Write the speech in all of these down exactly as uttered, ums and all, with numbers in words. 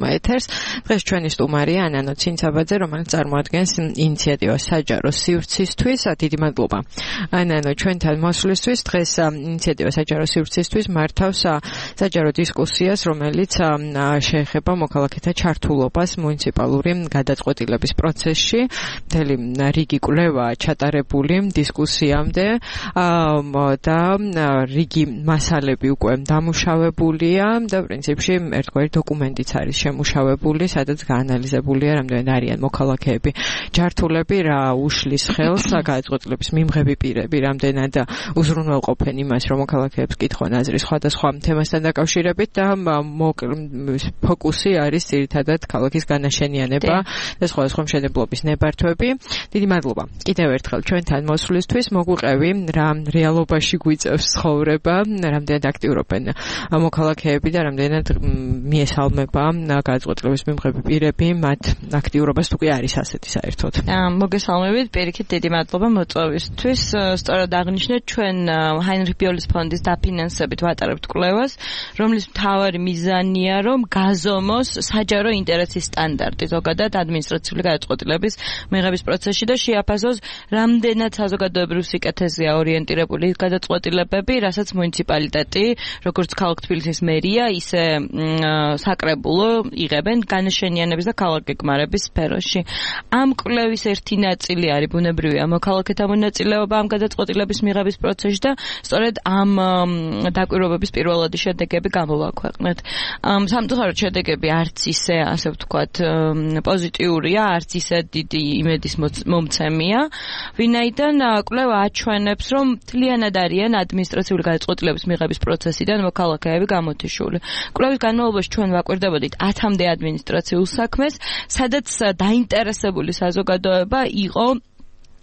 მოგესალმა ეთერს. დღეს ჩვენი სტუმარია ანანო ცინცაბაძე, რომელიც წარმოადგენს ინიციატივას საჯარო სივრცისთვის. დიდი მადლობა ანანო ჩვენთან მოსვლისთვის. დღეს ინიციატივა საჯარო სივრცისთვის მართავს საჯარო დისკუსიას, რომელიც შეეხება მოქალაქეთა ჩართულობას მუნიციპალური გადაწყვეტილების პროცესში. მთელი რიგი კვლევა ჩატარებული დისკუსიამდე და რიგი მასალები უკვე დამუშავებულია და პრინციპში ერთგვარი დოკუმენტიც არის შემუშავებული, სადაც გაანალიზებულია რამდენად არიან მოქალაქეები ჯართულები, რა უშლის ხელს გადაწყვეტილების მიმღები პირები, რამდენად უზრუნველყოფენ იმას, რომ მოქალაქეებს კითხონ აზრი სხვადასხვა თემასთან დაკავშირებით და ფოკუსი არის ძირითადად ქალაქის განაშენიანება და სხვადასხვა მშენებლობის ნებართვები. დიდი მადლობა კიდევ ერთხელ ჩვენთან მოსვლისთვის. მოგვიყევი რა რეალობაში გვიწევს ცხოვრება, რამდენად აქტიურობენ მოქალაქეები და რამდენად მიესალმება გადაწყვეტილების მიმღები პირები, მათ აქტიურობას თუ კი არის ასეთი საერთოდ. მოგესალმებით, პირიქით დიდი მადლობა მოწვევისთვის. სწორად აღნიშნეთ, ჩვენ ჰაინრიხ ბიოლის ფონდის დაფინანსებით ვატარებთ კვლევას, რომლის მთავარი მიზანია, რომ გაზომოს საჯარო ინტერესის სტანდარტი ზოგადად ადმინისტრაციული გადაწყვეტილების მიღების პროცესში და შეაფასოს, რამდენად საზოგადოებრივ სიკეთეზეა ორიენტირებული გადაწყვეტილებები, რასაც მუნიციპალიტეტი, როგორც ქალაქ თბილისის მერია, ისე საკრებულო იღებენ განაშენიანების და ქალაქგეგმარების სფეროში. ამ კვლევის ერთი ნაწილი არის ბუნებრივია მოქალაქეთა მონაწილეობა ამ გადაწყვეტილების მიღების პროცესში და სწორედ ამ დაკვირვებების პირველადი შედეგები გამოვაქვეყნეთ. სამწუხაროდ შედეგები არც ისე, ასე ვთქვათ, პოზიტიურია, არც ისე დიდი იმედის მომცემია, ვინაიდან კვლევა აჩვენებს, რომ მთლიანად არიან ადმინისტრაციული გადაწყვეტილების მიღების პროცესიდან მოქალაქეები გამოთიშული. კვლევის განმავლობაში ჩვენ ვაკვირდებოდით ათამდე ადმინისტრაციულ საქმეს, სადაც დაინტერესებული საზოგადოება იყო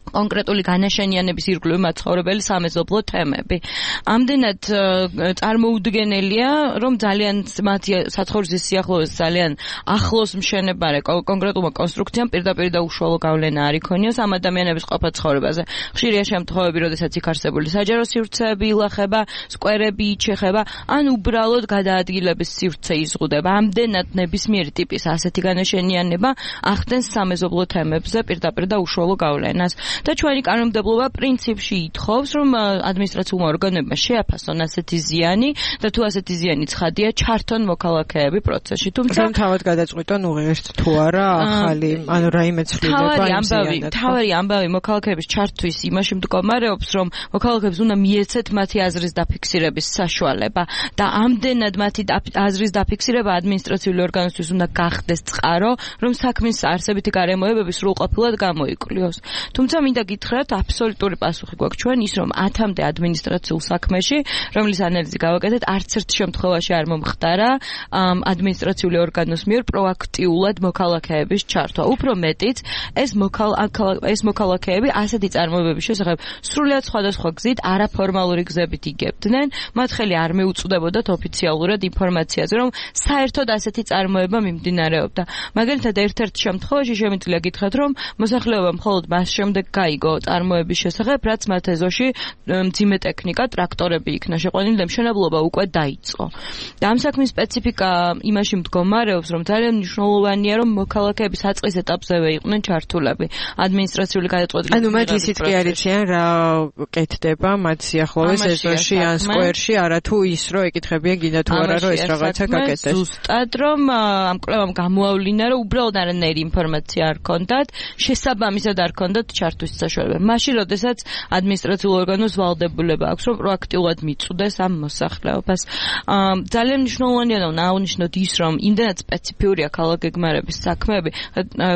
კონკრეტული განაშენიანების ირგვლივ მაცხოვრებელი სამეზობლო თემები. ამდენად წარმოუდგენელია, რომ ძალიან მათი საცხოვრისის სიახლოვეს ძალიან ახლოს მშენებარე კონკრეტულმა კონსტრუქციამ პირდაპირ და უშუალო გავლენა არ იქონიოს ამ ადამიანების ყოფა ცხოვრებაზე. ხშირია შემთხვევები, როდესაც იქ არსებული საჯარო სივრცეები ილახება, სკვერები იჩეხება, ან უბრალოდ გადაადგილების სივრცე იზღუდება. ამდენად ნებისმიერი ტიპის ასეთი განაშენიანება ახდენს სამეზობლო თემებზე პირდაპირ და უშუალო გავლენას. და ჩვენი კანონმდებლობა პრინციპში ითხოვს, რომ ადმინისტრაციულმა ორგანოებმა შეაფასონ ასეთი ზიანი და თუ ასეთი ზიანი ცხადია, ჩართონ მოქალაქეები პროცესში. თუმცა თავად გადაწყვიტონ უღირთ თუ არა ახალი, ანუ რაიმე ცვლილება იმ ზიანად. თავარი ამბავი მოქალაქეების ჩართვის იმაში მდგომარეობს, რომ მოქალაქეებს უნდა მიეცეთ მათი აზრის დაფიქსირების საშუალება და ამდენად მათი აზრის დაფიქსირება ადმინისტრაციული ორგანოსთვის უნდა გახდეს წყარო, რომ საქმის არსებითი გარემოებები სრულყოფილად გამოიკვლიოს. თუმცა მინდა გითხრათ, აბსოლუტური პასუხი გვაქვს ჩვენ ის, რომ ათამდე ადმინისტრაციულ საქმეში, რომლის ანალიზი გავაკეთეთ, არც ერთ შემთხვევაში არ მომხდარა ადმინისტრაციული ორგანოს მიერ პროაქტიულად მოქალაქეების ჩართვა. უფრო მეტიც, ეს ეს მოქალაქეები ასეთი წარმოებების შესახებ სრულიად სხვადასხვა გზით, არაფორმალური გზებით იგებდნენ, მათ ხელი არ მეუწვდებოდათ ოფიციალურად ინფორმაციაზე, რომ საერთოდ ასეთი წარმოება მიმდინარეობდა. მაგალითად, ერთ-ერთ შემთხვევაში შემიძლია გითხრათ, რომ მოსახლეობა მხოლოდ მას შემდეგ გაიგო წარმოების შესახებ, რაც მათ ეზოში მძიმე ტექნიკა, ტრაქტორები იქნა შეყვანილი და მშენებლობა უკვე დაიწყო. და ამ საქმის სპეციფიკა იმაში მდგომარეობს, რომ ძალიან მნიშვნელოვანია, რომ მოქალაქეები საწყის ეტაპზევე იყვნენ ჩართულები ადმინისტრაციული გადაწყვეტილების. ანუ მათ ისიც კი არ იციან რა კეთდება მათ სიახლოვეს ეზოში ან სკვერში, არათუ ის რომ ეკითხებიან გინდა თუ არა რომ ეს რაღაცა გაკეთდეს. ზუსტად რომ ამ კვლევამ გამოავლინა, რომ უბრალოდ არანაირი ინფორმაცია არ ჰქონდათ, შესაბამისად არ ჰქონდათ ჩართვის საშუალება. მაშინ, როდესაც ადმინისტრაციულ ორგანოს ვალდებულება აქვს, რომ პროაქტიულად მიწვდეს ამ მოსახლეობას. ძალიან მნიშვნელოვანია და აღვნიშნოთ ის, რომ იმდენად სპეციფიურია ქალაქგეგმარების საქმეები,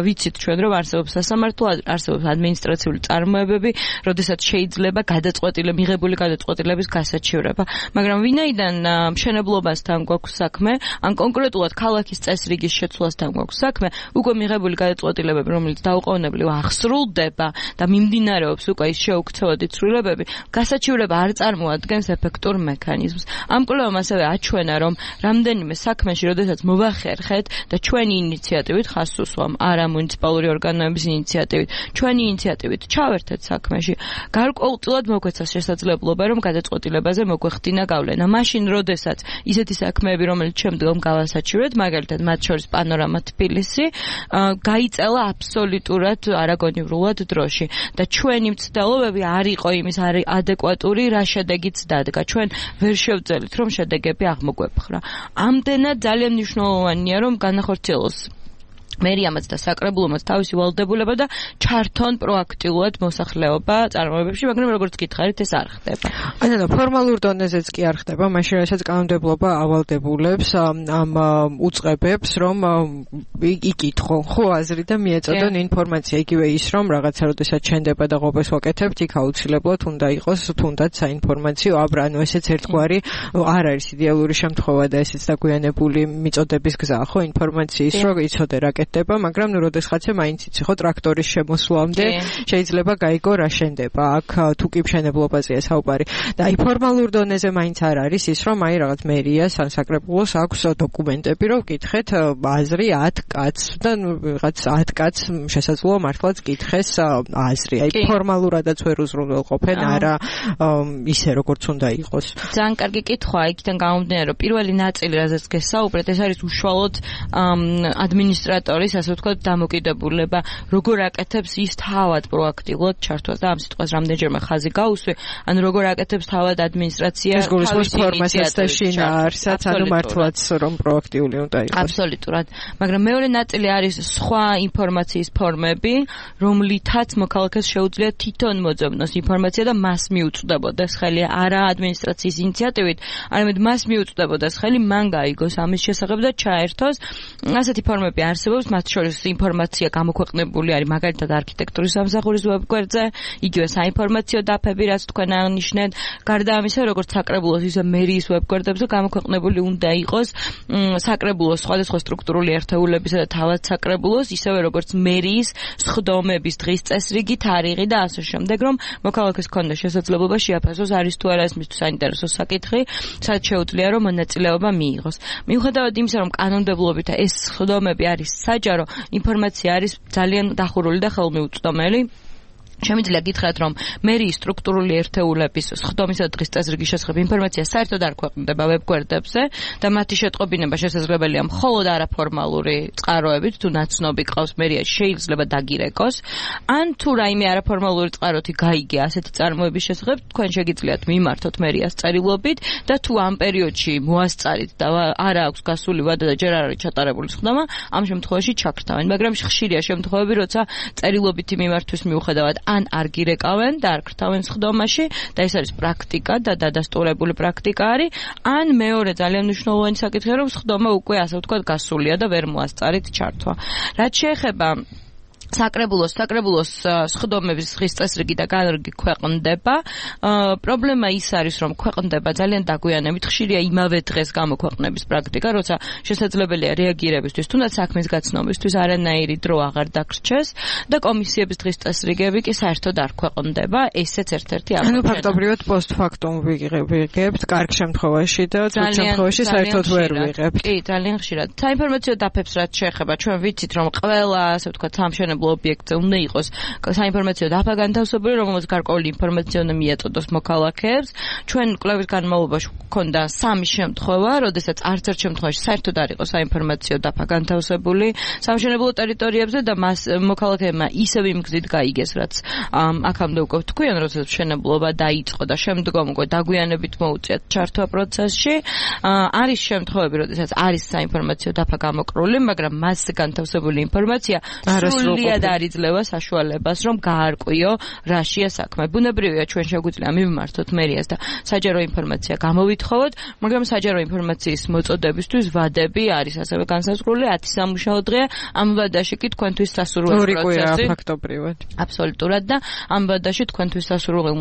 ვიცით ჩვენ, რომ არსებობს სასამართლო, არსებობს ადმინისტრაციული წარმოებები, როდესაც შეიძლება გადაწყვეტილება, მიღებული გადაწყვეტილების გასაჩივრება. მაგრამ ვინაიდან მშენებლობასთან გვაქვს საქმე, ან კონკრეტულად ქალაქის წესრიგის შეცვლასთან გვაქვს საქმე, უკვე მიღებული გადაწყვეტილებები, რომელიც დაუყოვნებლივ აღსრულდება და მიმდინარეობს უკვე ის შეუქცევადი ცვლილებები, გასაჩივრება არ წარმოადგენს ეფექტურ მექანიზმს. ამ კვლევამ ასევე აჩვენა, რომ რამდენიმე საქმეში, როდესაც მოვახერხეთ და ჩვენი ინიციატივით ხაზს უსვამ, არა მუნიციპალური ორგანოების ინიციატივით, ჩვენი ინიციატივით ჩავერთეთ საქმეში, გარკვეულწილად მოგვეცა შესაძლებლობა, რომ გადაწყვეტილებაზე მოგვეხდინა გავლენა. მაშინ, როდესაც ისეთი საქმეები, რომელიც შემდგომ გავასაჩივრეთ, მაგალითად, მათ შორის პანორამა თბილისი, გაიწელა აბსოლუტურად არაგონივრულად დროში და ჩვენი მცდელობები არ იყო იმის ადეკვატური, რა შედეგიც დადგა. ჩვენ ვერ შევძელით, რომ შედეგები აღმოგვეპხრა. ამდენად ძალიან მნიშვნელოვანია, რომ განახორციელოს მერიამაც და საკრებულომაც თავისი ვალდებულება და ჩართონ პროაქტიულად მოსახლეობა წარმოებებში, მაგრამ როგორც გითხარით, ეს არ ხდება. ანუ ფორმალურ დონეზეც კი არ ხდება, მაშინ რასაც კანონმდებლობა ავალდებულებს ამ უწყებებს, რომ იკითხონ ხო აზრი და მიეწოდონ ინფორმაცია, იგივე ის, რომ რაღაცა როდესაც ჩენდება და ყოფეს ვაკეთებთ, იქ აუცილებლად უნდა იყოს თუნდაც საინფორმაციო აბრა, ანუ ესეც ერთგვარი არ არის იდეალური შემთხვევა და ესეც დაგვიანებული მიწოდების გზაა, ხო, ინფორმაციის, რომ იცოდე რა მაგრამ ნუ როდესღაც მაინც იცი ხო ტრაქტორის შემოსვლამდე შეიძლება გაიგო რა შენდება აქ თუ კი მშენებლობაზეა საუბარი და აი ფორმალურ დონეზე მაინც არ არის ის რომ აი რაღაც მერიას ან საკრებულოს აქვს დოკუმენტები რომ გითხეთ აზრი ათ კაცს და ნუ რაღაც ათ კაცს შესაძლოა მართლაც გითხეს აზრი აი ფორმალურადაც ვერ უზრუნველყოფენ არა ისე როგორც უნდა იყოს ძალიან კარგი კითხვა იქიდან გამომდინარე რომ პირველი ნაწილი რაზეც გესაუბრეთ ეს არის უშუალოდ ადმინისტრატორი ასე ვთქვათ, დამოკიდებულება, როგორ აკეთებს ის თავად პროაქტიულად ჩართვას და ამ სიტყვას რამდენჯერმე ხაზი გაუსვი, ანუ როგორ აკეთებს თავად ადმინისტრაცია თავის ფორმასაც და შინაარსსაც, ანუ მართლაც რომ პროაქტიული უნდა იყოს. აბსოლუტურად. მაგრამ მეორე ნაწილი არის სხვა ინფორმაციის ფორმები, რომლითაც მოქალაქეს შეუძლია თვითონ მოძებნოს ინფორმაცია და მას მიუწვდებოდეს ხელი არა ადმინისტრაციის ინიციატივით, არამედ მას მიუწვდებოდეს ხელი მან გაიგოს ამის შესახებ და ჩაერთოს. ასეთი ფორმები არსებობს მათ შორის ინფორმაცია გამოქვეყნებული არის მაგალითად არქიტექტურის სამსახურის ვებგვერდზე, იგივე საინფორმაციო დაფები, რაც თქვენ აღნიშნეთ. გარდა ამისა, როგორც საკრებულოს, ისე მერიის ვებგვერდებზე გამოქვეყნებული უნდა იყოს საკრებულოს სხვადასხვა სტრუქტურული ერთეულებისა და თავად საკრებულოს, ისევე როგორც მერიის სხდომების დღის წესრიგი, თარიღი და ასე შემდეგ, რომ მოქალაქეს ჰქონდეს შესაძლებლობა შეაფასოს არის თუ არა ეს მისთვის საინტერესო საკითხი, სადაც შეუძლია რომ მონაწილეობა მიიღოს. მიუხედავად იმისა, რომ კანონმდებლობით ეს სხდომები არის საჯარო ინფორმაცია არის ძალიან დახურული და ხელმიუწვდომელი. შემიძლია გითხრათ, რომ მერიის სტრუქტურული ერთეულების სხდომისა და დღის წესრიგის შესახებ ინფორმაცია საერთოდ არ ქვეყნდება ვებგვერდებზე და მათი შეტყობინება შესაძლებელია მხოლოდ არაფორმალური წყაროებით, თუ ნაცნობი ყავს მერიაში შეიძლება დაგირეკოს, ან თუ რაიმე არაფორმალური წყაროთი გაიგე ასეთი წარმოების შესახებ, თქვენ შეგიძლიათ მიმართოთ მერიას წერილობით და თუ ამ პერიოდში მოასწარით და არ აქვს გასული ვადა და ჯერ არ არის ჩატარებული სხდომა, ამ შემთხვევაში ჩაგრთავენ, მაგრამ ხშირია შემთხვევები, როცა წერილობითი მიმართვის მიუხედავად ან არ გირეკავენ და არ ქრთავენ სხდომაში და ეს არის პრაქტიკა და დადასტურებული პრაქტიკა არის, ან მეორე ძალიან მნიშვნელოვანი საკითხია, რომ სხდომა უკვე ასე ვთქვათ გასულია და ვერ მოასწარით ჩართვა. რაც შეეხება საკრებულოს, საკრებულოს სხდომების დღის წესრიგი და განრიგი ქვეყნდება. პრობლემა ის არის, რომ ქვეყნდება ძალიან დაგვიანებით, ხშირია იმავე დღეს გამოქვეყნების პრაქტიკა, როცა შესაძლებელია რეაგირებისთვის, თუნდაც საქმის გაცნობისთვის არანაირი დრო აღარ დაგრჩეს და კომისიების დღის წესრიგები კი საერთოდ არ ქვეყნდება. ესეც ერთ-ერთი აღმოჩენა. ანუ ფაქტობრივად პოსტფაქტუმ ვიღებთ კარგ შემთხვევაში და ძველ შემთხვევაში საერთოდ ვერ ვიღებთ. კი, ძალიან ხშირად. საინფორმაციო დაფებს რაც შეეხება, ჩვენ ვიცით, რომ ყველა, ასე ვთქვათ, სამშენებლო ობიექტზე უნდა იყოს საინფორმაციო დაფა განთავსებული, რომელსაც გარკვეული ინფორმაცია უნდა მიაწოდოს მოქალაქეებს. ჩვენ კვლევის განმავლობაში გვქონდა სამი შემთხვევა, როდესაც არც ერთ შემთხვევაში საერთოდ არ იყო საინფორმაციო დაფა განთავსებული სამშენებლო ტერიტორიებზე და მას მოქალაქეებმა ისევ იმ გზით გაიგეს, რაც აქამდე უკვე თქვენ, როდესაც მშენებლობა დაიწყო და შემდგომ უკვე დაგვიანებით მოუწიათ ჩართვა პროცესში. არის შემთხვევები, როდესაც არის საინფორმაციო დაფა გამოკრული, მაგრამ მასზე განთავსებული ინფორმაცია სრულიად არ იძლევა საშუალებას, რომ გაარკვიო რაშია საქმე. ბუნებრივია, ჩვენ შეგვიძლია მივმართოთ მერიას და საჯარო ინფორმაცია გამოვითხოვოთ, მაგრამ საჯარო ინფორმაციის მოწოდებისთვის ვადები არის ასევე განსაზღვრული, ათი სამუშაო დღეა, ამ ვადაში კი თქვენთვის სასურველი პროცესი. ფაქტობრივად. აბსოლუტურად და ამ ვადაში თქვენთვის სასურველი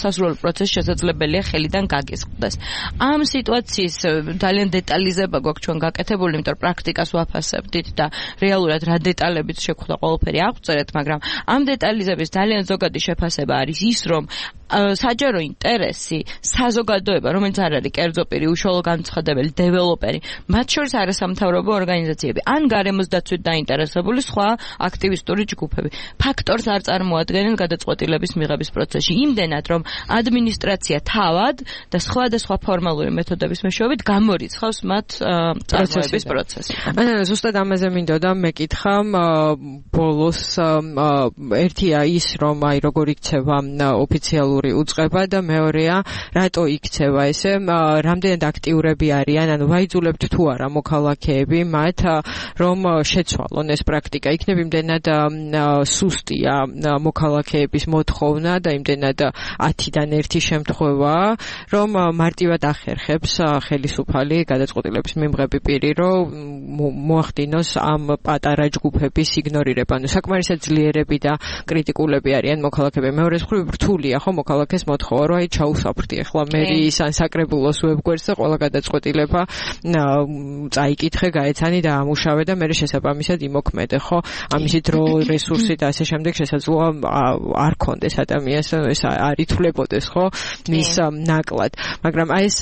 სასურველი პროცესი შესაძლებელია ხელიდან გაგისყდეს. ამ სიტუაციის ძალიან დეტალიზება გვაქვს ჩვენ გაკეთებული, იმიტომ რომ პრაქტიკას ვაფასებდით და რეალურად რა დეტალებიც შეგვხვდა ყველაფერი აღწერეთ, მაგრამ ამ დეტალიზების ძალიან ზოგადი შეფასება არის ის, რომ საჯარო ინტერესი, საზოგადოება, რომელიც არ არის კერძო პირი, უშუალო განცხადებელი, დეველოპერი, მათ შორის არასამთავრობო ორგანიზაციები, ან გარემოს დაცვით დაინტერესებული სხვა აქტივისტური ჯგუფები, ფაქტორს არ წარმოადგენენ გადაწყვეტილების მიღების პროცესში. იმდენად, რომ ადმინისტრაცია თავად და სხვადასხვა ფორმალური მეთოდების მეშვეობით გამორიცხავს მათ წარმოების პროცესს. ანუ ზუსტად ამაზე მინდოდა მეკითხა ბოლოს ერთია ის, რომ აი როგორ იქცევა ოფიციალური უწყება და მეორეა რატო იქცევა ესე, რამდენად აქტიურები არიან, ანუ ვაიძულებთ თუ არა მოქალაქეები მათ რომ შეცვალონ ეს პრაქტიკა. იქნებ იმდენად სუსტია მოქალაქეების მოთხოვნა და იმდენად ათიდან ერთი შემთხვევა, რომ მარტივად ახერხებს ხელისუფალი გადაწყვეტილების მიმღები პირი, რომ მოახდინოს ამ პატარა ჯგუფების იგნორირება. ანუ საკმარისად ძლიერები და კრიტიკულები არიან მოქალაქეები. მეორე მხრივ რთულია ხო მოქალაქეს მოთხოვა, რომ აი ჩაუსაფრთი ახლა მერის ან საკრებულოს ვებგვერდზე ყველა გადაწყვეტილება წაიკითხე, გაეცანი და ამუშავე და მე შესაბამისად იმოქმედე, ხო? ამისი დრო, რესურსი და ასე შემდეგ შესაძლოა არ ქონდეს ადამიანს, ეს არ ითვლებოდეს, ხო? მის ნაკლად. მაგრამ აი ეს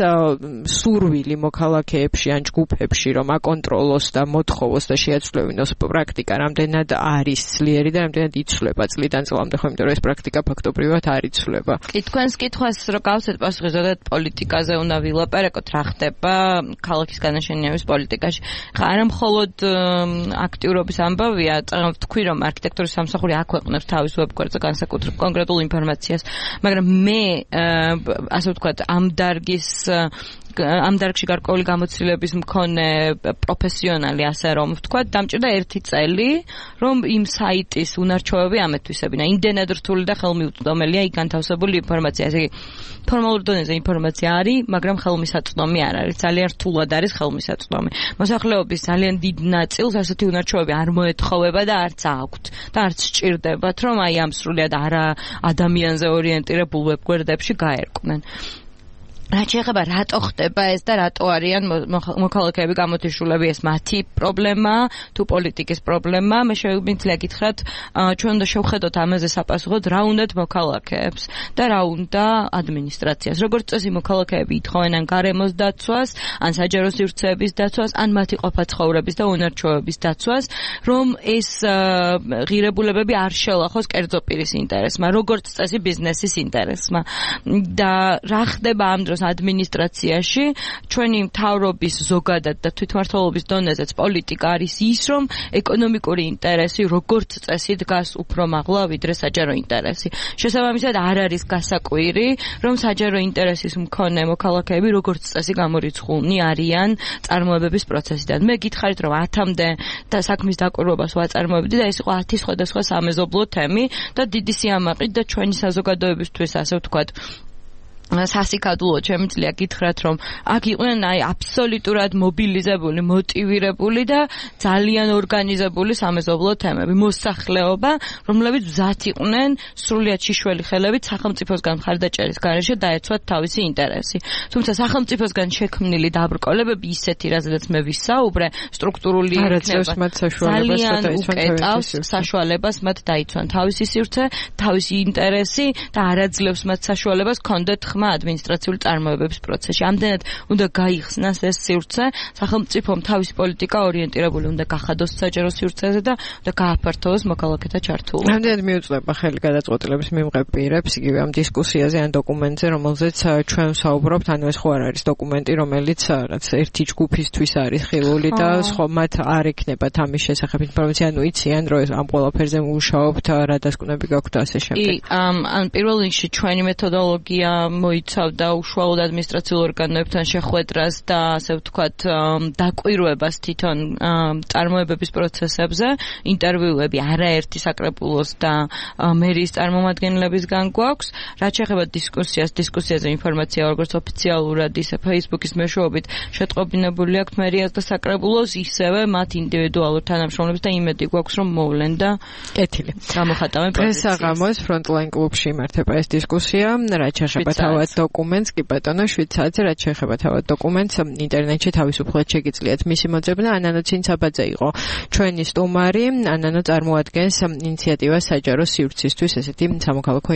სურვილი მოქალაქეებში ან ჯგუფებში, რომ აკონტროლოს და მოთხოვოს და შეაცვლევინოს პრაქტიკა, რამდენად არის ძლიერი და რამდენად იცვლება წლიდან წლამდე, ხო, იმიტომ რომ ეს პრაქტიკა ფაქტობრივად არ იცვლება. კი, თქვენს კითხვას რო გავცეთ პასუხი, ზოგადად პოლიტიკაზე უნდა ვილაპარაკოთ, რა ხდება ქალაქის განაშენიანების პოლიტიკაში. ხა არა მხოლოდ აქტიურობის ამბავია, თქვი რომ არქიტექტურის სამსახური აქვეყნებს თავის ვებგვერდზე განსაკუთრებულ კონკრეტულ ინფორმაციას, მაგრამ მე ასე ვთქვათ, ამ დარგის ამ დარგში გარკვეული გამოცდილების მქონე პროფესიონალი, ასე რომ ვთქვათ, დამჭირდა ერთი წელი, რომ იმ საიტის უნარჩვევები ამეთვისებინა. იმდენად რთული და ხელმიუწვდომელია იქ განთავსებული ინფორმაცია. ესე იგი, ფორმალურ დონეზე ინფორმაცია არის, მაგრამ ხელმისაწვდომი არ არის. ძალიან რთულად არის ხელმისაწვდომი. მოსახლეობის ძალიან დიდ ნაწილს ასეთი უნარჩვევები არ მოეთხოვება და არც აქვთ და არც სჭირდებათ, რომ აი ამ სრულიად არა ადამიანზე ორიენტირებულ ვებგვერდებში გაერკვნენ. რაც შეეხება რატო ხდება ეს და რატო არიან მოქალაქეები გამოთიშულები, ეს მათი პრობლემა თუ პოლიტიკის პრობლემა, მე შეგვიძლია გითხრათ, ჩვენ უნდა შევხედოთ ამაზე საპასუხოდ, რა უნდათ მოქალაქეებს და რა უნდა ადმინისტრაციას. როგორც წესი მოქალაქეები ითხოვენ ან გარემოს დაცვას, ან საჯარო სივრცეების დაცვას, ან მათი ყოფა-ცხოვრების და უნარჩვევების დაცვას, რომ ეს ღირებულებები არ შელახოს კერძო პირის ინტერესმა, როგორც წესი ბიზნესის ინტერესმა. და რა ხდება ამ დროს ადმინისტრაციაში, ჩვენი მთავრობის ზოგადად და თვითმმართველობის დონეზეც პოლიტიკა არის ის, რომ ეკონომიკური ინტერესი როგორც წესი დგას უფრო მაღლა, ვიდრე საჯარო ინტერესი. შესაბამისად არ არის გასაკვირი, რომ საჯარო ინტერესის მქონე მოქალაქეები როგორც წესი გამორიცხულნი არიან წარმოებების პროცესიდან. მე გითხარით, რომ ათამდე და საქმის დაკვირვებას ვაწარმოებდი და ეს იყო ათი სხვადასხვა სამეზობლო თემი და დიდი სიამაყით და ჩვენი საზოგადოებისთვის, ასე ვთქვათ, სასიკადულო შემიძლია გითხრათ, რომ აქ იყვნენ აი აბსოლუტურად მობილიზებული, მოტივირებული და ძალიან ორგანიზებული სამეზობლო თემები, მოსახლეობა, რომლებიც მზად იყვნენ სრულიად შიშველი ხელებით სახელმწიფოსგან მხარდაჭერის გარეშე დაეცვათ თავისი ინტერესი. თუმცა სახელმწიფოსგან შექმნილი დაბრკოლებები ისეთი, რაზედაც მე ვისაუბრე, სტრუქტურული იქნება, ძალიან უკეტავს საშუალებას მათ დაიცვან თავისი სივრცე, თავისი ინტერესი და არაძლევს მათ საშუალებას ქონდეთ ხმა ადმინისტრაციული წარმოებების პროცესში. ამდენად უნდა გაიხსნას ეს სივრცე, სახელმწიფომ თავისი პოლიტიკა ორიენტირებული უნდა გახადოს საჯარო სივრცეზე და უნდა გააფართოვოს მოქალაქეთა ჩართულობა. ამდენად მიუწვდება ხელი გადაწყვეტილების მიმღებ პირებს, იგივე ამ დისკუსიაზე ან დოკუმენტზე, რომელზეც ჩვენ ვსაუბრობთ, ანუ ეს ხო არ არის დოკუმენტი, რომელიც რაც ერთი ჯგუფისთვის არის ხილული და სხვა მათ არ ექნებათ ამის შესახებ ინფორმაცია, ანუ იციან, რომ ამ ყველაფერზე მუშაობთ, რა დასკვნები გაქვთ ასე შემდეგ. კი, ან პირველ რიგში ჩვენი მეთოდოლოგია მოიცავდა უშუალოდ ადმინისტრაციულ ორგანოებთან შეხვედრას და ასე ვთქვათ დაკვირვებას თვითონ წარმოებების პროცესებზე, ინტერვიუები არაერთი საკრებულოს და მერიის წარმომადგენლებისგან გვაქვს. რაც შეეხება დისკუსიას, დისკუსიაზე ინფორმაცია როგორც ოფიციალურად, ისე Facebook-ის მეშვეობით შეტყობინებული აქვს მერიას და საკრებულოს, ისევე მათ ინდივიდუალურ თანამშრომლებს და იმედი გვაქვს, რომ მოვლენ და კეთილი. გამოხატავენ პოზიციას. დღეს საღამოს ფრონტლაინ კლუბში იმართება ეს დისკუსია, რაც შეეხება თავად დოკუმენტს, კი ბატონო, შვიდ საათზე, რაც შეეხება თავად დოკუმენტს, ინტერნეტში თავისუფლად შეგიძლიათ მისი მოძებნა. ანანო ცინცაბაძე იყო ჩვენი სტუმარი. ანანო წარმოადგენს ინიციატივას საჯარო სივრცისთვის, ესეთი სამოქალაქო